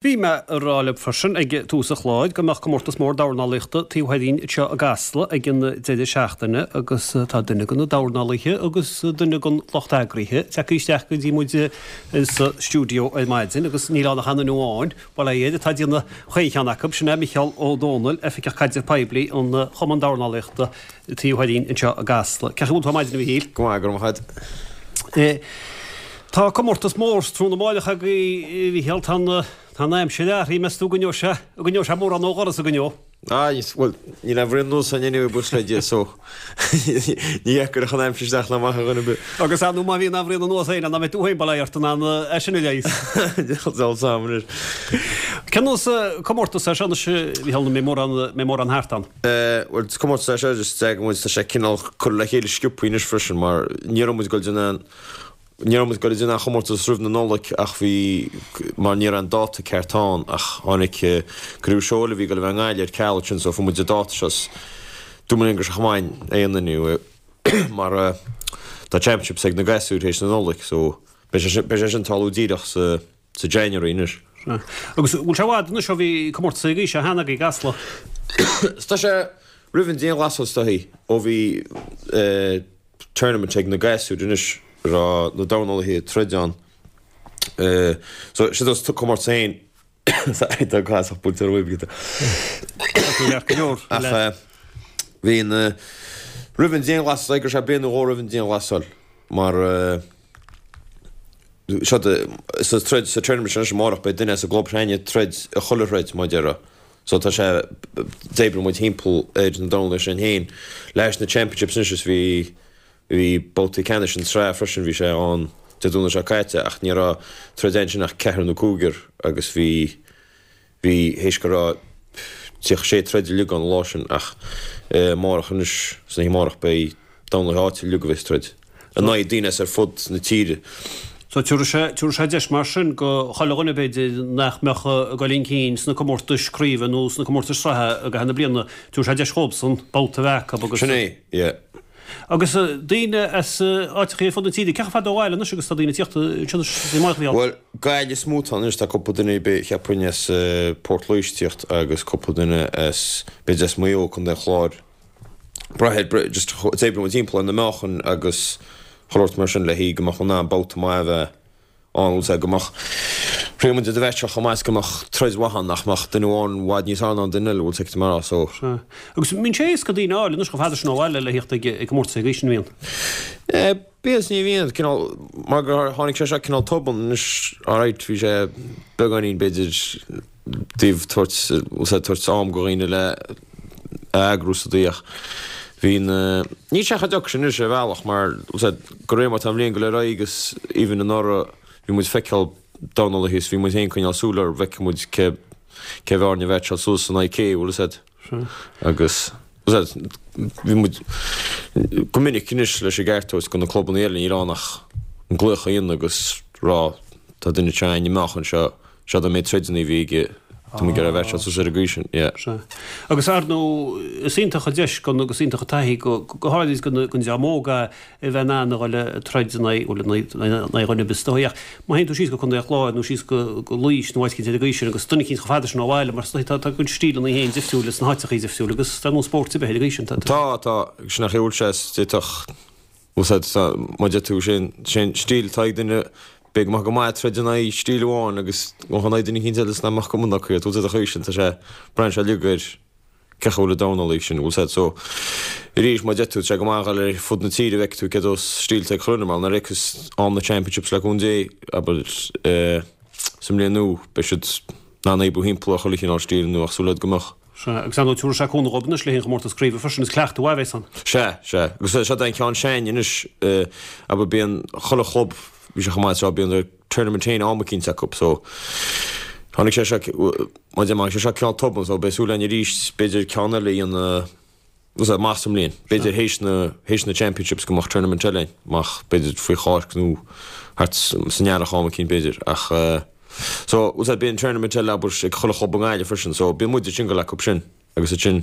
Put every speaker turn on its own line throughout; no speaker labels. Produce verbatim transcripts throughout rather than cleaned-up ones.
Bhí mé ag rá libh freisin ag tús an chláir go mbeadh comórtas mór dornálaíochta taobh thoir dínn anseo i gCasla ag an deireadh seachtaine agus tá duine de na dornálaithe agus duine den lucht eagraithe tagtha isteach go dtí muid sa stiúideo ar maidin agus níl ann ach aon duine amháin, bail ó Dhia air, atá ag déanamh chaon cheann acu, sin é Micheál Ó Dónaill, Oifigeach Caidrimh Poiblí an Chumann Dornálaíochta taobh thoir dínn anseo i gCasla. Cén chaoi a bhfuil tú ar maidin a Mhichíl?
Go maith, go raibh maith agat.
Tá comórtas mór tráthnóna amáireach agaibh, a Mhichíl. Tá an, tá an aimsir athraithe, meas tú an gcoinneoidh sé, an gcoinneoidh sé mórán ó dhoras an gcoinneoidh?
Ah, bhuel, níl aon bhraon anuas againn anyway, buíochas le Dia, so ní fheicfear an aimsir isteach ná amach a dhuine ar bith.
Agus ar ndóigh má bhíonn aon bhraon anuas againn, nach mbeidh tú féin bail ó Dhia ort in ann é sin a leigheas.
Deabhal sam anois.
Cén nós comórtas é seo anois, a Mhichíl, an mbeidh mórán, mbeidh mórán thart ann?
Eh, bhuel, is comórtas é seo, just d'eagraigh muid, tá sé cineál curtha le chéile sciobthaí anois freisin, mar ní raibh muid ag dul déanamh aon, Ní raibh muid ag dul ag déanamh aon chomórtas roimh na Nollag ach bhí, mar ní raibh an dáta ceart ann ach tháinig criú seó eile a bhí ag dul a bheith i nGaillimh ar ceal ansin so fuair muid an dáta seo 's dúirt muid linn go raibh sé chomh maith é a dhéanamh anyway mar tá championships ag na gasúir théis na Nollag so beidh sé sin, beidh sé sin tarlú díreach sa, sa January anois.
Sea. Agus bhfuil sé i bhfad anois ó bhí comórtas ag aois cheana agaibh i gCasla?
Tá sé roimh an dianghlasáil is dóichí ó bhí eh, tournament ag na gasúir anois a raibh na dornálaithe ag troid ann. So sin is comórtas féin tá clasach buailte ar uaimh Ach bhí an roimh an dianghlasáil go sé bliain nó dhó roimh an dianghlasáil mar seo sa troid sa tournament sin anois amárach beidh duine as an gclub s'againne ag troid i chuile throid mar a déarfá. So tá sé, d'oibrigh muid thimpeall ar na dornálaithe sin féin leis na championships anois is bhí, bhí babhtaí ceannais an tsraith freisin, bhí sé ann Dé Domhnaigh seo caite ach ní raibh troid ansin ach ceathrar nó cúigear agus bhí, bhí, théis go raibh tríocha sé troid uilig ann an lá sin ach amárach anois, san oíche amárach beidh dornálaithe áitiúla uilig a bheas ag troid. In aghaidh daoine as ar fud na tíre.
So tabharfaidh sé, tabharfaidh sé deis mar sin go chuile dhuine b'fhéidir nach mbeadh ag dul chun cinn sna comórtais craoibhe nó sna comórtais sraithe i gcaitheamh na bliana, tabharfaidh sé deis dhóibhsan babhta a bheith acu agus.
Sin é, yeah.
Agus daoine as áiteachaí ar fud na tíre, cé chomh fada ó bhaile anois agus tá daoine ag tíocht anseo anois amárach a Mhichíl?
Bhuel, Gaillimh is mó atá anois, tá cúpla duine cheapfainn as Port Laoise ag tíocht agus cúpla duine as, b'fhéidir as Maigh Eo, Contae an Chláir. Braithfidh, just d'oibrigh muid timpeall ar na meáchain agus chuile shórt mar sin le haghaidh go mbeadh in ann babhta maith a bheith ann, bhfuil 's a'd, go mbeadh, thriail muid iad a mheaitseáil chomh maith is go mbeadh troid mhaith ann, nach mbeadh duine amháin i bhfad níos fearr ná an duine eile, bhfuil 's agat mar a, so.
Sea. Agus an mbíonn sé éasca daoine a fháil anois chomh fada sin ó bhaile le thíocht ag comórtas ag aois an mbíonn?
Eh, bíonn is ní bhíonn, cineál, mar gur tháinig sé seo cineál tobann anois, alright, bhí sé beagáinín b'fhéidir, dtaobh tabhairt, bhfuil 's a'd, tabhairt am go dhaoine le a eagrú sa dtaobh ach bhí na, níl sé chomh deacair sin anois ar bhealach mar, bhfuil 's a'd, de réir mar tá an bhliain ag dul ar aghaidh agus even anuraidh bhí muid feiceáil dornálaithe is bhí muid féin ag coinneáil súil orthu, bhfeicfeadh muid cé, cé bheadh orainn a mheaitseáil suas in aghaidh cé, bhfuil 's a'd. Agus, bhfuil 's a'd, bhí muid go minic anois leis an gceart a thabhairt go na clubanna eile níl ann ach an glaoch a dhéanamh agus rá tá duine anseo againn i meáchan seo, Seo an méid troideanna a bhí aige, tá muid ag iarraidh a mheaitseáil suas ar an gcaoi sin, yeah.
Sea. Agus ar ndóigh, is iontach an deis go, agus iontach an taithí go, go háirid don, don dream óg é a bheith in ann a dhul ag troid in aghaidh, bhuel, in aghaidh, in aghaidh dhuine ar bith is dóigh ach má théann tú síos go Contae an Chláir nó síos go, go Laois nó áit eicínt ar an gcaoi sin agus duine eicínt chomh fada sin ó bhaile mar is dóigh tá, tá a gcuid stíleanna féin difriúil sna háiteachaí difriúil agus dar ndóigh spórt ar bith ar an gcaoi sin, tá, tá.
Tá, tá, sin an chaoi a bhfuil sé, is d'fhéadfadh, Bhuel, mar a deir tú, sé an stíl atá ag duine, b'fhéidir go mbeadh go maith ag troid in aghaidh stíl amháin agus go mbeadh in aghaidh duine eicínt eile is nach mbeadh cuma acu air. Bhfuil 's a'd an chaoi sin, tá sé, braitheann sé uilig ar cén chaoi a bhfuil an dornálaí sin, bhfuil 's a'd. So, arís, mar a deir tú, tá sé go maith a dhul ar fud na tíre, bhfeicfidh tú cé dós stíl atá ag chuile dhuine, mar nuair a thiocfas am na championships le cúnamh Dé, abair, sa mbliain nua, beidh siad in ann oibriú thimpeall ar chuile chineál stíl nua ach súil a'd go mbeadh.
Sea, agus ar ndóigh tabharfaidh sé cúnamh dhóibh anois le haghaidh an chomórtas craoibhe freisin, is cleachtadh mhaith a bheas ann.
Sea, sea. Agus seo é an ceann s'againne anois, abair bíonn chuile chlub, bhí sé chomh maith seo, bíonn a tournament féin am eicínt acu, so tháinig sé seo, mar a deir mé, tháinig sé seo cineál tobann, so beidh súil againn arís, b'fhéidir ceann eile a dhéanamh, amach sa mbliain, b'fhéidir théis na, théis na championships go mbeadh tournament eile againn, amach b'fhéidir faoi Cháisc nó thart san earrach am eicínt b'fhéidir, ach eh so, bhfuil 's a'd, bíonn tournament eile abair ag chuile chlub i nGaillimh freisin, so bíonn muid ag single acu sin agus ansin,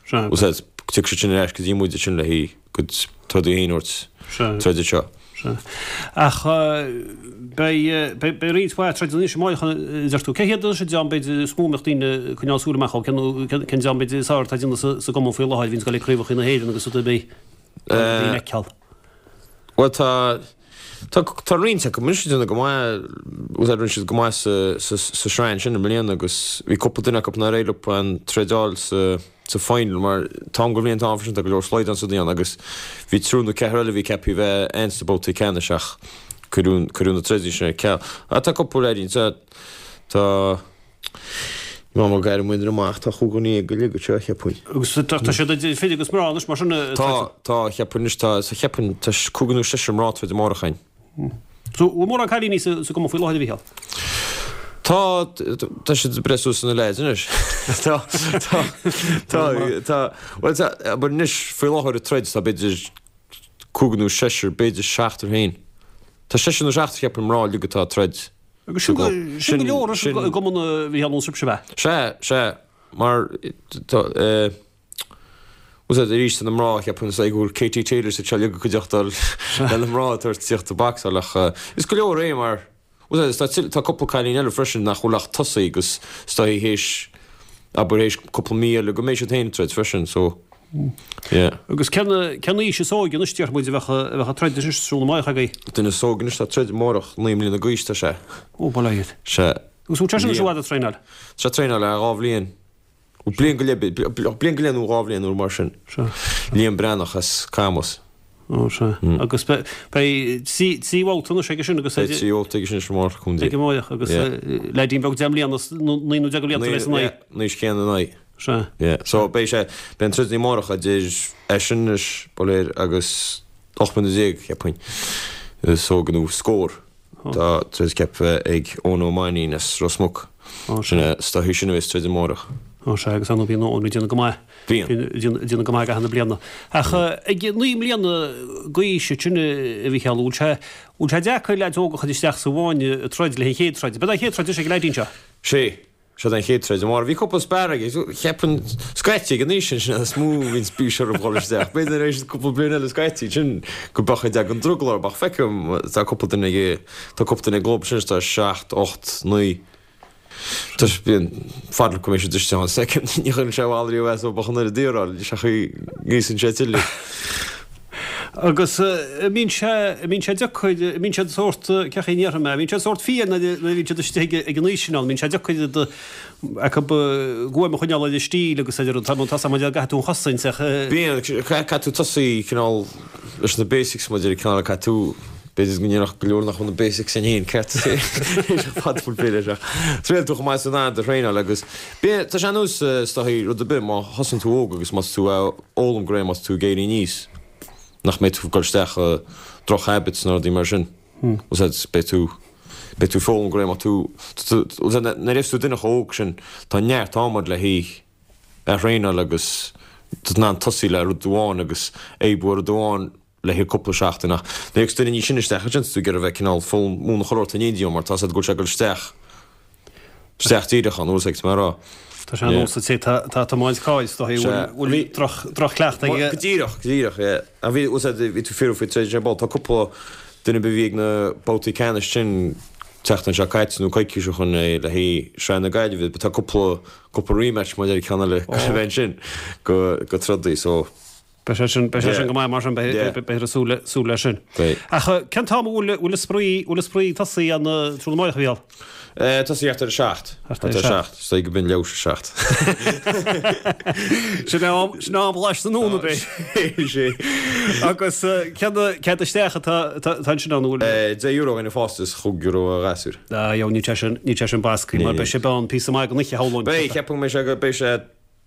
bhfuil 's a'd, tiocfaidh siad sin ar ais go dtí muid ansin le haghaidh a gcuid trodaí féin a thabhairt, troid anseo.
Sea. Ach beidh beidh roinnt mhaith troideanna anois amárach a deir tú. Cé hiad anois an dream b'fhéidir is mó a mbeadh daoine ag coinneáil súil amach orthu? Cén cén dream b'fhéidir is fearr atá ag déanamh sa sa gcumann faoi láthair a bhíonns ag dul ag craobhacha na hÉireann agus rud ar bith daoine a fheiceáil?
Bhuel tá tá tá roinnt acu anois ag déanamh go maith, bhuel rinne siad go maith sa sa sa sraith ansin i mbliana agus bhí cúpla duine acu nár éirigh leo an troideáil sa sa final mar tá an go bhliain tá freisin tá go leor slaghdán sa dian agus bhí triúr nó ceathrar eile a bhí ceaptha bheith ann sna babhtaí ceannais ach cuireadh cuireadh na troideanna sin ar ceal. Ach tá cúpla leaidín tá tá Má mo ghairm muintir amach tá chúig dhuine déag uilig anseo, cheapfainn.
Agus tá tá siad idir fir agus mná anois mar sin
Tá, tá, cheapfainn anois tá, cheapfainn tá cúigear nó seisear mná ag troid amárach againn.
So bhfuil mórán cailíní sa sa gcumann faoi láthair a Mhícheáil?
Tá, tá siad ag breith suas ina leaids anois. Tá, tá, tá, tá, bhuel tá, abair anois faoi láthair ag troid tá b'fhéidir cúigear nó seisear, b'fhéidir seachtar féin. Tá seisear nó seachtar cheapfainn mná uilig atá ag troid.
Agus sin go sin go leor i gcumann a Mhícheáil ón sibhse ab
ea? Sea, sea, mar tá eh bhfuil fhios arís tá na mná cheapfainn is go bhfuil Katie Taylor sa tseilg ag cuideachta le na mná ag tabhairt tíocht ag bacsáil ach is go leor é mar bhfuil fhios tá tá cúpla cailín eile freisin nach bhfuil ach tosaí agus is dóigh théis abair théis cúpla mí eile go mbeidh siad féin ag troid freisin so
yeah. Agus cén cén aois is óige anois déarfaidh muid a bheadh a bheadh ag troid anois tráthnóna amárach agaibh?
Duine is óige anois atá ag troid amárach, naoi mbliana d'aois tá sé.
Ó, bail ó Dhia air.
Sea.
Agus bhfuil sé sin anois i bhfad ag traenáil?
Tá sé ag traenáil le dhá bhliain. Bliain go leith, bliain go leith nó dhá bhliain nó mar sin.
Sea.
Liam Breathnach as Camus.
Ó, sea. Agus beidh trí trí bhabhta anois aige sin agus
Beidh trí bhabhta aige sin anois amárach, a Chontae.
Ag amárach agus leaidín beag deich mbliana, naoi nó deich de bhlianta a bheas ina aghaidh.
Naoi, naoi chéanna ina aghaidh.
Sea.
Yeah. So beidh sé, beidh an troid amárach idir eisean anois, ba léir, agus ocht mbliana déag, cheapfainn, is óige nó scór. Tá troid ceaptha ag Eoin Ó Mainnín as Ros Muc.
Ó,
Sin é, is dóichí sin a bheas troid amárach.
Ó sea, agus ar ndóigh bíonn Eoin ag déanamh go maith.
Bíonn.
Bíonn ag déanamh go maith i gcaitheamh na bliana. Ach ag naoi mbliana d'aois sin a Mhícheáil, bhfuil sé, bhfuil sé deacair leaids óga a chur isteach sa bhfáinne ag troid le an chéad troid. Ab é an chéad troid anois ag an leaidín seo?
Sea. Seo an chéad troid amárach. Bhí cúpla spar aige. Cheapfainn scaití ag an aois sin, sin is mó a bhíonn spéis orthu dhul isteach. B'fhéidir tar éis cúpla bliain eile scaití sin go mbeadh ag an drogall orthu ach feicim tá cúpla duine ag tá cúpla duine ag gclub sin tá seacht, ocht, naoi. Tá bíonn fad le go mbeidh siad istigh ann. Feicim ní chuireann sé mall riamh as ó bheadh an oiread iarráil leis ach ngríosann sé tuilleadh.
Agus an mbíonn sé, an mbíonn sé deacair, an mbíonn siad sórt, cén chaoi a ndéarfaidh mé, an mbíonn siad sórt fiain nuair a bhíonn siad istigh ag an aois sin ann, an mbíonn sé deacair iad acu guaim a choinneáil ar an stíl agus ar an, tá tá mé ag caithfidh tú an chosaint ach.
Bíonn, caithfidh tú tosaí cineál leis na basics mar a déarfá cineál caithfidh tú, b'fhéidir go ndéarfadh go leor nach bhfuil na basics sin féin ceart fad full féile ach triail tú chomh maith is an do thraenáil agus bíonn, tá sé ar nós is dóichí rud ar bith má thosaíonn tú óg agus má tá tú a fhoghlaim go réidh má tá tú ag éirí aníos. nach mbeidh tú ag dul isteach i droch habits nó rudaí mar sin. Bhfuil a fhios agat, beidh tú, beidh tú ag foghlaim go réidh má tú, bhfuil a fhios agat, nuair a bheas tú duine chomh óg sin, tá neart ama agat le haghaidh a thraenáil agus tá tú in ann tosaí le rud amháin agus oibriú ar rud amháin le haghaidh cúpla seachtain ach nuair a thiocfas duine níos sine isteach ansin tá tú ag iarraidh a bheith cineál foghlaim múineadh chuile shórt in éindí mar tá a fhios agat go bhfuil sé ag dul isteach isteach díreach ann, bhfuil a fhios agat mé a rá.
Tá sé ar nós an té atá ag tiomáint cairr is dóichí
Sea.
bhfuil droch-chleachtadh aige.
Go díreach, go díreach, yeah. Ach bhí, bhfuil a fhios agat, bhí tú fiú faoi troid ar ball. Tá cúpla duine a bhí ag na babhtaí ceannais sin tseachtain seo caite nó coicís ó shin le haghaidh Sraith na Gaillimhe. Tá cúpla, cúpla rematch mar a deir ceann eile go bheith ansin go, go trodaí so.
Beidh sé sin, beidh sé sin go maith mar sin, beidh, beifear ag súil, súil leis sin.
Beidh.
Ach cén t-am a bhfuil, bhfuil an spraoi, bhfuil an spraoi ag tosaí an tráthnóna amárach, a Mhícheáil?
Eh, tosaí thart ar a seacht.
Thart ar a seacht.
Is dóigh go b'in leathuair tar éis a seacht.
Sin am, sin am ghlais na nóna, b'é.
Sé.
Agus cén, cead isteach atá, atá, atá ansin ann, an bhfuil?
Eh, deich euro do dhaoine fásta is chúig euro do ghasúir.
Ah, níl sé sin, níl sé sin basctha, mar beidh sé ann píosa maith den oíche, shamhlóinn.
Beidh, ceapaim go mbeidh sé go, beidh sé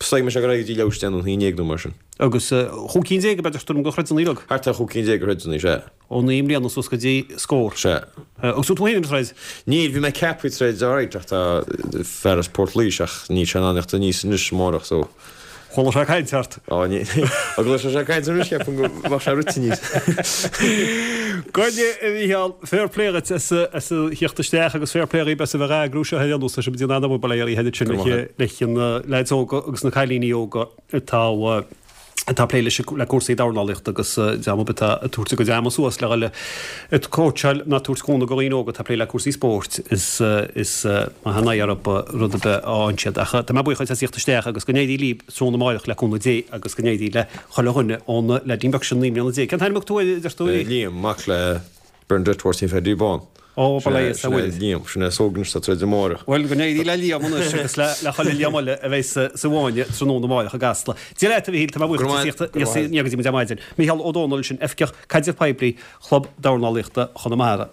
Is dóigh go mbeidh sé ag dul ar aghaidh go dtí leathuair tar éis a deich nó a haon déag nó mar sin.
Agus chúig cinn déag ab ea deirtear liom de throideanna uilig?
Thart ar chúig cinn déag de throideanna, sea.
Ó naoi mbliana suas go dtí scór?
Sea.
Agus tú féin ag troid?
Níl, bhí mé ceaptha ag troid alright ach tá fear as Port Laoise ach níl sé in ann theacht aníos anois amárach so.
Chuala sé caint ort?
Á ní, ó go sé caint anois ceapaim go mbeadh sé rite aníos.
Go deimhin, a Mhícheáil, fair play dhuit as a theacht isteach agus fair play dhaoib as a bheith á eagrú seo ar aon nós, tá sibh ag déanamh an-obair bail ó Dhia oraibh sin leis na leaids óga agus na cailíní óga atá atá ag plé leis le cúrsaí dornálaíochta agus dream ar bith atá ag tabhairt a gcuid ama suas le dhul ag cóitseáil ná tabhairt cúnamh do dhaoine óga atá ag plé le cúrsaí spóirt is is maith an aghaidh orthu rud ar bith a fhaigheann siad. Ach tá mé buíoch as theacht isteach agus go n-éirí libh tráthnóna amárach le cúnamh Dé agus go n-éirí le chuile dhuine ón leaidín beag sin naoi mbliana déag. Cén t-ainm a thug tú air, a deir tú?
Liam, mac le Bernadette Mháirtín Pheaidí Bán.
Ó, ba leigheas
a bhfuil. Sin é Liam, sin é is óige anois atá ag troid amárach.
Bhuel, go n-éirí le Liam anois agus le le chuile Liam eile a bheidh sa sa bhfáinne tráthnóna amárach i gCasla. Dia leat, a Mhichíl, tá mé buíoch
Go raibh
as theacht isteach go dtí muid ar maidin. Micheál Ó Domhnaill sin, Oifigeach Caidrimh Poiblí Chlub Dornálaíochta Chonamara.